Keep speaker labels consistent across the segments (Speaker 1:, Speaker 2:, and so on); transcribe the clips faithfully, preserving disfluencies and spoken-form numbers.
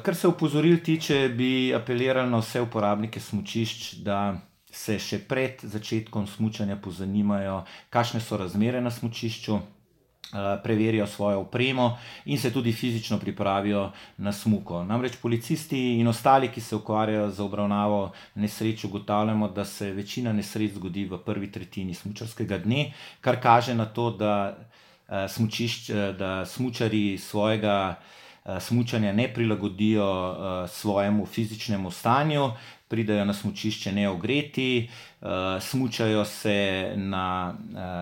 Speaker 1: Kar se opozoril tiče, bi apeliral na vse uporabnike smučišč, da se še pred začetkom smučanja pozanimajo, kakšne so razmere na smučišču, preverijo svojo opremo in se tudi fizično pripravijo na smuko. Namreč policisti in ostali, ki se ukvarjajo z obravnavo nesreč, ugotavljamo, da se večina nesreč zgodi v prvi tretjini smučarskega dne, kar kaže na to, da smučišč, da smučarji svojega smučanja ne prilagodijo svojemu fizičnemu stanju, pridejo na smučišče neogreti, smučajo se na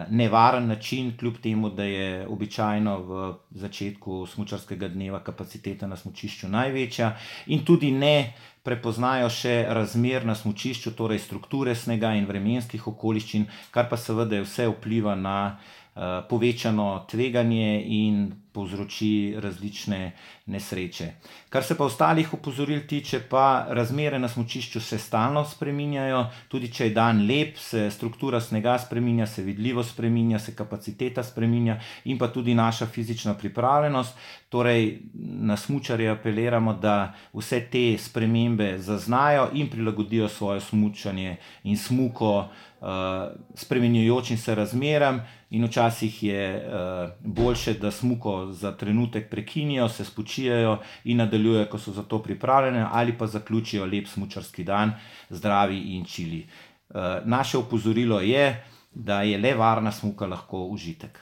Speaker 1: nevaren način, kljub temu, da je običajno v začetku smučarskega dneva kapaciteta na smučišču največja, in tudi ne prepoznajo še razmer na smučišču, torej strukture snega in vremenskih okoliščin, kar pa seveda vse vpliva na povečano tveganje in povzroči različne nesreče. Kar se pa ostalih opozoril tiče, pa razmere na smučišču se stalno spreminjajo, tudi če je dan lep, se struktura snega spreminja, se vidljivost spreminja, se kapaciteta spreminja in pa tudi naša fizična pripravljenost. Torej na smučarje apeliramo, da vse te spremembe zaznajo in prilagodijo svoje smučanje in smuko spreminjajočim se razmeram, in včasih je boljše, da smuko za trenutek prekinijo, se spočijejo in nadaljujejo, ko so za to pripravljene, ali pa zaključijo lep smučarski dan zdravi in čili. Naše opozorilo je, da je le varna smuka lahko užitek.